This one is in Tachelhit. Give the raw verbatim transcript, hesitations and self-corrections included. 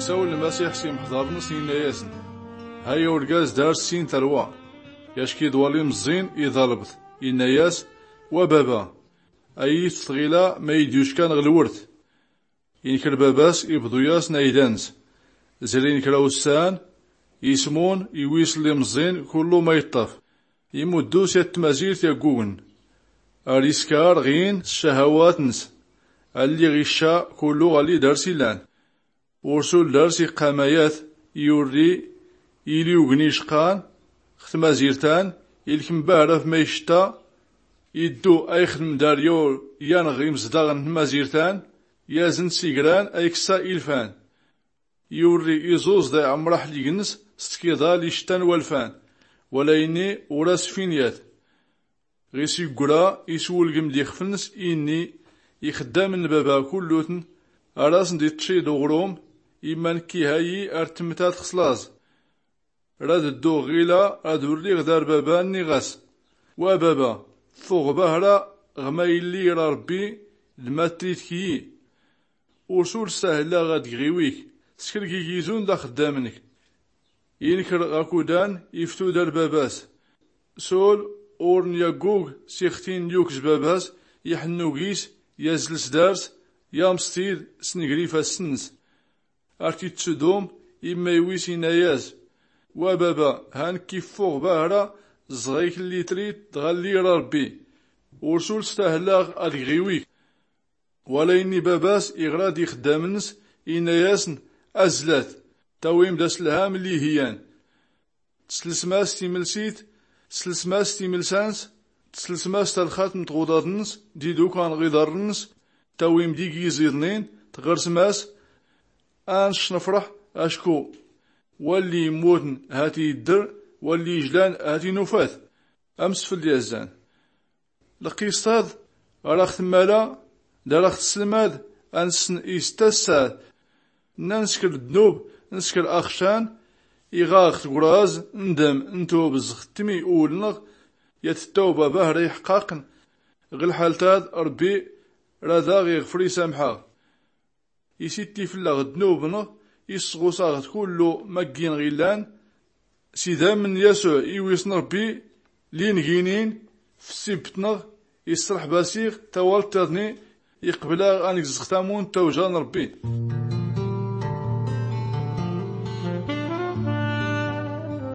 Isawel lmasiḥ s imḥḍarn-ns inna-yasn, haya urgaz dar-d sin tarwa, yacki d-wali mẓẓin iḍalb-t, inna-yas, wa baba, a-yi-t-tɣila ma-yi-d-yuckan ɣ-lwrt. Inker baba-s ibḍu-yasn ayda-ns. Zrin kra ussan, ismun iwis lli mẓẓin kullu ma iṭṭaf, imuddu s yat tmazirt yaggugn, ar iskar ɣin s cahawat-ns, alli ɣ-icca kullu ɣalli dar-s illan. Ursul dar-s iqqam ayat, iwrri, ili ugni icqan ɣ-tmazirt-an, ilkem bahra f ma ictta, iddu a-ixdm dar yawr yan ɣ-imzdaɣ n-tmazirt-an, yazn s igran a-ikksa ilfan. Iwrri iẓuẓ da iɛmr aḥlig-ns s tkiḍa lli icttan walfan, wala inni ur-as-fin yat. Ɣis iggra iswlgm d-ixf-ns, inni, ixddamn n-baba kullutn, ar-asn-d-iṭṭci d-uɣrum, imma nkki hayi ar-tmtat xs laẓ. Rad-dduɣ ɣila ad-urriɣ dar baba, nniɣ-as, wa baba, ffuɣ bahra ɣ-ma illi ira rbbi d-matlit kyi. Ursul stahlaɣ ad-gɣiwik, skrgigizun d-axddam-nk. Inkr ɣakudan iftu dar baba-s. Sul ur-n-yaggug s-ixtin lyuk s-baba-s, iḥnnug-is yazl s-dar-s, yamṣtid s-ngr ifass-ns. Ar-t-ittsdum imma iwis inna-yas, wa baba, ha nkki ffuɣ bahra ẓẓɣ-ik lli trid d-ɣalli ira rbbi. Ursul stahlaɣ ad-gɣiwik. Wala inni baba-s iɣra-d ixddam-ns, inna-yasn, azlat, tawim-d aslham lli-hi-yan. Tslsm-as timlsit, tslsm-as timlsa-ns, tslsm-as talxat n-tɣuḍaḍ-ns d-idukan ɣ-iḍarr-ns, tawim-d igiẓ iḍnin, tɣrsm-as, a-ncnfrḥ, acku walli immutn hat-iddr, walli ijlan hat-inufat. Amsfl d-yazzan. Lqisṭ-ad ar-aɣ-tmmala d-ar-aɣ-tslmad, a-nsn-is tassad. Nna nskr ddnub, nskr axcan, iɣ-aɣ-tgraz ndm ntub zɣ-tmi ul-nɣ, yat-ttawba bahra iḥqaqn. Ɣ-lḥalt-ad rbbi rad-aɣ-iɣfr isamḥ-aɣ. Isitti fllaɣ ddnub-nɣ, issɣus-aɣ-d kullu ma ggin-ɣ-illan. S-idamn n-yasuɛ iwis n-rbbi, lli-nginin f-ssibt-nɣ, issrḥb-as-iɣ tawalt-iḍni, iqbl-aɣ a-ngzɣ tamunt tawja n-rbbi.